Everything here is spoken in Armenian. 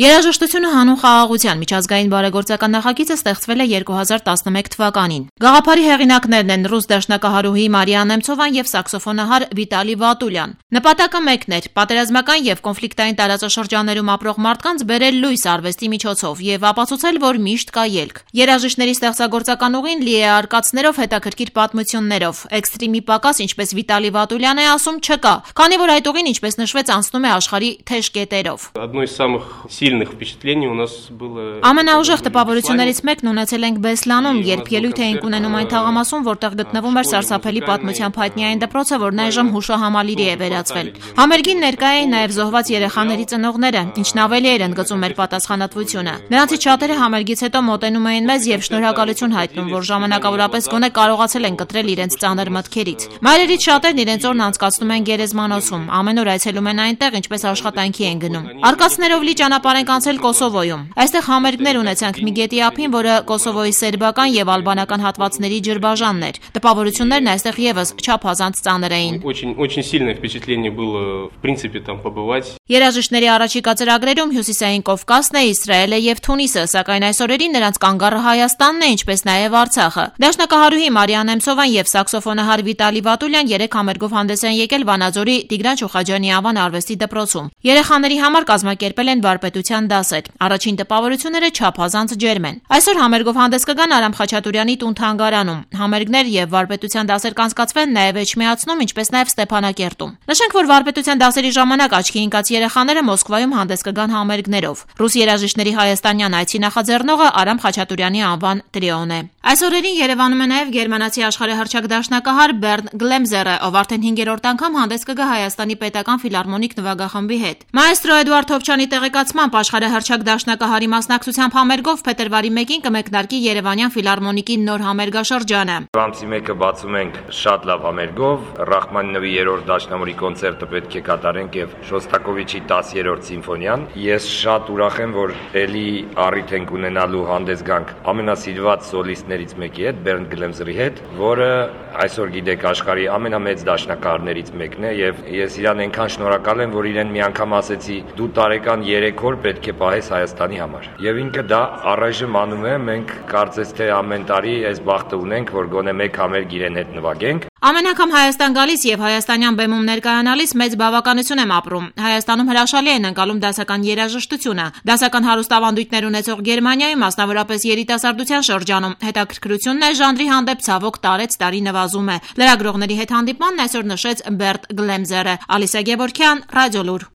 Երաժշտությունը հանուն խաղաղության միջազգային բարեգործական նախագիծը ստեղծվել է 2011 թվականին։ Գաղափարի հեղինակներն են ռուս դաշնակահարուհի Մարիա Նեմցովան եւ սաքսոֆոնահար Վիտալի Վատուլյան։ Նպատակը մեկն էր՝ պատերազմական եւ կոնֆլիկտային տարածաշրջաններում ապրող մարդկանց բերել լույս արվեստի միջոցով եւ ապացուցել, որ միշտ կա ելք։ Երաժիշտների ստեղծագործական ուղին լի է արկածներով, հետաքրքիր պատմություններով։ Էքստրիմի պակաս, ինչպես Վիտալի Վատուլյանն է ասում, չկա, քանի որ այդ ուղին, ինչպես նշվեց, անցնում է աշխարհի թեժ կետերով։ Ամենաուժեղ տպավորություններից մեկն ունեցել ենք Բեսլանում, երբ ելույթ էինք ունենում այն թաղամասում, որտեղ գտնվում էր սարսափելի պատմությամբ հայտնի այն դպրոցը, որն այժմ հուշահամալիրի է վերածվել։ Համերգին ներկա էին նաև զոհված երեխաների ծնողները, ինչն ավելի էր ընդգծում մեր պատասխանատվությունը։ Նրանցից շատերը համերգից հետո մոտենում էին մեզ եւ շնորհակալություն հայտնում, որ ժամանակավորապես գոնե կարողացել են կտրել իրենց ծանր մտքերից։ Մայրերից շատերն իրենց օրն անցկացնում են գերեզմանոցում, ամեն օր այցելում են այնտեղ, ինչպես աշխատանքի են գնում։ Արկածներով լի ճանապարհ ենք անցել Կոսովոյում։ Այստեղ համերգներ ունեցանք մի գետի ափին, որը Կոսովոյի սերբական եւ ալբանական հատվածների ջրբաժանն էր։ Տպավորություններն այստեղ եւս չափազանց ծանր էին։ Երաժիշտների առաջիկա ծրագրերում Հյուսիսային Կովկասն է, Իսրայելը եւ Թունիսը, սակայն այս օրերին նրանց կանգառը Հայաստանն է, ինչպես նաեւ Արցախը։ Դաշնակահարուհի Մարիա Նեմցովան եւ սաքսոֆոնահար Վիտալի Վատուլյան 3 համերգով հանդես են եկել Վանաձորի Տիգրան Շուխաջյանի անվան արվեստի դպրոցում։ Երեխաների համար կազմակերպել են վարպետության դասեր։ Առաջին տպավորությունները չափազանց ջերմ են։ Այսօր համերգով հանդես կգան Արամ Խաչատուրյանի տուն-թանգարանում։ Համերգներ եւ վարպետության դասեր կանցկացվեն նաեւ Էջմիածնում, ինչպես նաեւ Ստեփանակերտում։ Նշենք, որ վարպետության դասերի ժամանակ աչքի ընկած երեխաները Մոսկվայում հանդես կգան համերգներով։ Ռուս երաժիշտների հայաստանյան այցի նախաձեռնողը Արամ Խաչատուրյանի անվան տրիոն է։ Այս օրերին Երևանում է նաեւ գերմանացի աշխարհահռչակ դաշնակահար Բերնդ Գլեմզերը, ով արդեն 5-րդ անգամ հանդես կգա Հայաստանի պետական ֆիլհարմոնիկ նվագախմբի հետ։ Մաեստրո Էդուարդ Թոփչյանի տեղեկացմամբ աշխարհահռչակ դաշնակահարի մասնակցությամբ համերգով փետրվարի 1-ին կմեկնարկի Երևանյան ֆիլհարմոնիկի նոր համերգաշրջանը։ Ամսի 1-ը բացում ենք շատ լավ համերգով, Ռախմանինովի 3-րդ դաշնամուրի կոնցերտը պետք է կատարենք եւ Շոստակովիչի 10-րդ սիմֆոնիան։ Ես շատ ուրախ եմ, որ ելի առիթ ենք ունենալու հանդես գանք ամենասիրված սոլիստներից մեկի հետ, Բերնդ Գլեմզերի հետ, որը այսօր գիտեք աշխարհի ամենամեծ դաշնակահարներից մեկն է եւ ես իրան այնքան շնորհակալ եմ, որ իրեն մի անգամ ասեցի՝ դու տարեկան 3 օր պետք է պահես Հայաստանի համար։ Եվ ինքը դա առայժմ անում է, մենք կարծես թե ամեն տարի այս բախտը ունենք, որ գոնե մեկ համերգ իրեն հետ նվագենք։ Ամեն անգամ Հայաստան գալիս եւ հայաստանյան բեմում ներկայանալիս մեծ բավականություն եմ ապրում։ Հայաստանում հրաշալի են ընկալում դասական երաժշտությունը։ Դասական հարուստ ավանդույթներ ունեցող Գերմանիայում, մասնավորապես երիտասարդության շրջանում, հետաքրքրությունն այս ժանրի հանդեպ ցավոք տարեց տարի նվազում է։ Լրագրողների հետ հանդիպմանն այսօր նշեց Բերտ Գլեմզերը։ Ալիսա Գևորգյան, Ռադիոլուր։